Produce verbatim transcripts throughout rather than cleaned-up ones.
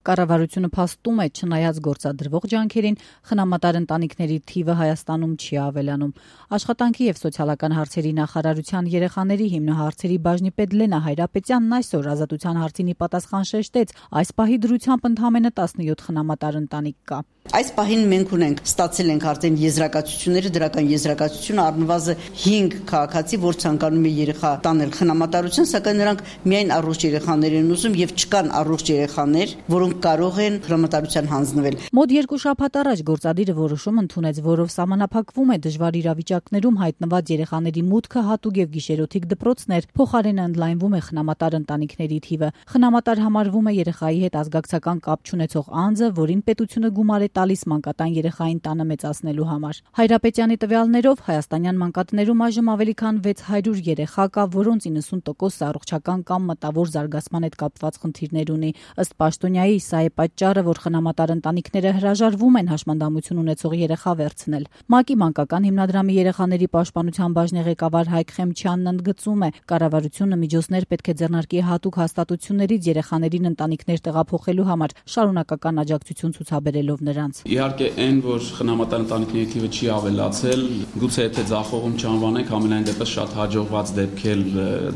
Կառավարությունը փաստում է, չնայած գործադրվող ջանքերին, խնամատար ընտանիքների թիվը Հայաստանում չի ավելանում։ Աշխատանքի եւ սոցիալական հարցերի նախարարության երեխաների հիմնահարցերի բաժնի պետ Լենա Հայրապետյանն այսօր Ազատության հարցին ի պատասխան շեշտեց, այս պահի դրությամբ ընդամենը տասնյոթ խնամատար ընտանիք կա։ Այս պահին մենք ունենք ստացել ենք արդեն եզրակացությունները, դրական եզրակացությունը առնվազն հինգ քաղաքացի, որ ցանկանում է երեխա տանել խնամատարություն, սակայն նրանք միայն առողջ երեխաներ են ուզում եւ չկան առողջ երեխաներ, որոնք կարող են խնամատարության հանձնվել։ Մոտ երկու շաբաթ առաջ գործադիրը որոշում ընդունեց, որով սահմանափակվում է դժվար իրավիճակներում հայտնված երեխաների մուտքը հատուկ եւ գիշերօթիկ դպրոցներ, փոխարենը ընդլայնվում է խնամատար ընտանիքների թիվը։ Խնամատար համարվում է երեխայի հետ ազգակցական կապ չունեցող անձը, որին պետությունը գումար է տալիս մանկատան երեխային տանը մեծացնելու համար։ Հայրապետյանի տվյալներով հայաստանյան մանկատներում այժմ ավելի քան վեց հարյուր երեխա կա, որոնց իննսուն տոկոսը առողջական կամ մտավոր զարգացման հետ կապված խնդիրներ ունի։ Ըստ պաշտոնյայի, սա է պատճառը, որ խնամատար ընտանիքները հրաժարվում են հաշմանդամություն ունեցող երեխա վերցնել։ ՄԱԿ-ի մանկական հիմնադրամի երեխաների պաշտպանության բաժնի ղեկավար Հայկ Խեմչյանն ընդգծում է, կառավարությունը միջոցներ պետք է ձեռնարկի հատուկ հաստատություններից երեխաներին ընտանիքներ տեղափոխելու համար, շարունակական աջակցություն ցուցաբերելով նրանց։ Իհարկե, այն, որ խնամատար ընտանիքների թիվը չի ավելացել, գուցե եթե ձախողում չանվանենք, ամենայն դեպս շատ հաջողված դեպք էլ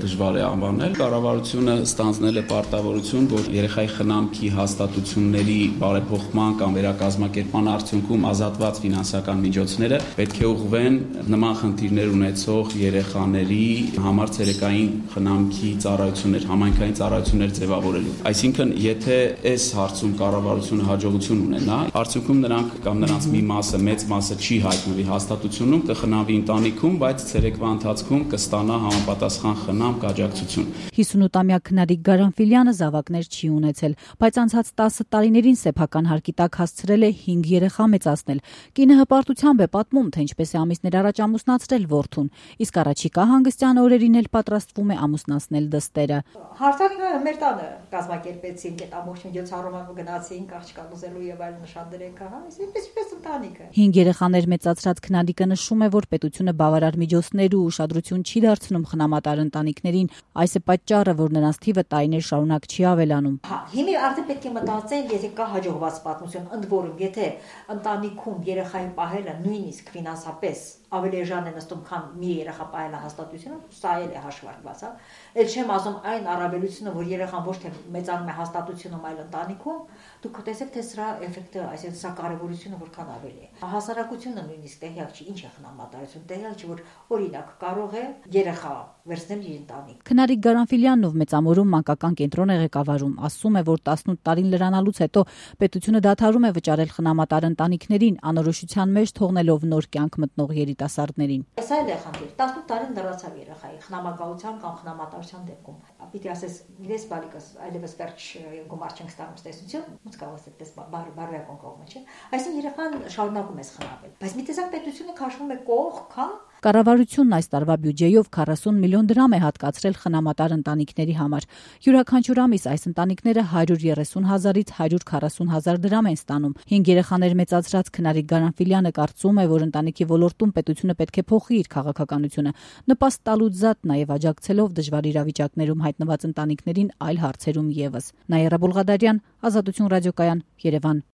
դժվար է անվանել։ Կառավարությունը ստանձնել է պարտավորություն, որ երեխայի խնամքի հաստատությունների բարեփոխման կամ վերակազմակերպման արդյունքում ազատված ֆինանսական միջոցները պետք է ուղղվեն նման խնդիրներ ունեցող երեխաների համար ցերեկային խնամքի ծառայություններ, համայնքային ծառայություններ ձևավորելու։ Այսինքն, եթե այս հարցում կառավարությունը հաջողություն ունենա, արդյունքում նրանք կամ նրանց մի մասը, մեծ մասը չի հայտնվի հաստատությունում, կխնամվի ընտանիքում, բայց ցերեկվա ընթացքում կստանա համապատասխան խնամք, աջակցություն։ հիսունութամյա քնարիկ Գարանֆիլյանը զավակներ չի ունեցել, բայց անցած տասը տարիներին սեփական հարկի տակ հասցրել է հինգ երեխա մեծացնել։ Կինը հպարտությամբ է պատմում, թե ինչպես է ամիսներ առաջ ամուսնացրել որդուն, իսկ առաջիկա հանգստյան օրերին էլ պատրաստվում է ամուսնացնել դստերը։ Հարթակը մեր տանը կազմակերպեցինք, այդ ամբողջ միջոցառումը գնացինք, աղջկա ուզելու եւ այլ նշաններ ենք ահա, այսպես ընտանիքը։ Հինգ երեխաներ մեծացրած քնարիկը նշում է, որ պետությունը բավարար միջոցներ ու ուշադրություն չի դարձնում խնամատար ընտանիքներին, այս է պատճառը, որ նրանց թիվը տարիներ շարունակ չի ավելանում։ Հա, հիմա արդեն պետք է մտածել, եթե կա հաջողված պատմություն, ընդ որում, եթե ընտանիքում երեխային պահելը նույնիսկ ֆինանսապես ավելի էժան է նստում, քան մի երեխա պահելը հաստատությունը, սա էլ է հաշվարկված, հա։ Էլ չեմ ասում այն առավելությունը, որ երեխան ոչ թե մեծանում է հաստատությունում, այլ ընտանիքում, դուք տեսեք, թե սրա էֆեկտը, այսինքն սա կարևորությունը որքան ավելի է։ Հասարակությունը նույնիսկ տեղյակ չի, ինչ է խնամատարություն, տեղյակ չի, որ օրինակ կարող է երեխա վերցնել իր ընտանիք։ Քնարիկ Գարանֆիլյանն, ով Մեծամորում մանկական կենտրոն է ղեկավարում, ասում է, որ տասնութ տարին լրանալուց հետո պետությունը դադարում է վճարել խնամատար ընտանիքներին, անորոշության մեջ թողնելով նոր կյանք մտնող երիտասարդներին։ Սա էլ է խնդիր, տասնութ տարին լրացավ երեխայի խնամակալության կամ խնամատարության դեպքում։ Պիտի ասես, իրես բալիկս այլևս վերջ գումար չենք ստանում ստեսություն, ոնց կարող է այդպես բարոյական կողմը, չէ։ Այսինքն երեխան շարունակում է խնամվել, բայց մի տեսակ պետությունը քաշվում է կողք, հա։ Կառավարությունն այս տարվա բյուջեով քառասուն միլիոն դրամ է հատկացրել խնամատար ընտանիքների համար։ Յուրաքանչյուր ամիս այս ընտանիքները հարյուր երեսուն հազարից հարյուր քառասուն հազար դրամ են ստանում։ Հինգ երեխաներ մեծացրած քնարիկ Գարանֆիլյանը կարծում է, որ ընտանիքի ոլորտում պետությունը պետք է փոխի իր քաղաքականությունը, նպաստ տալուց զատ նաև աջակցելով դժվար իրավիճակներում հայտնված ընտանիքներին այլ հարցերում ևս։ Նաիրա Բուլղադարյան, Ազատություն ռադիոկայան, Երևան։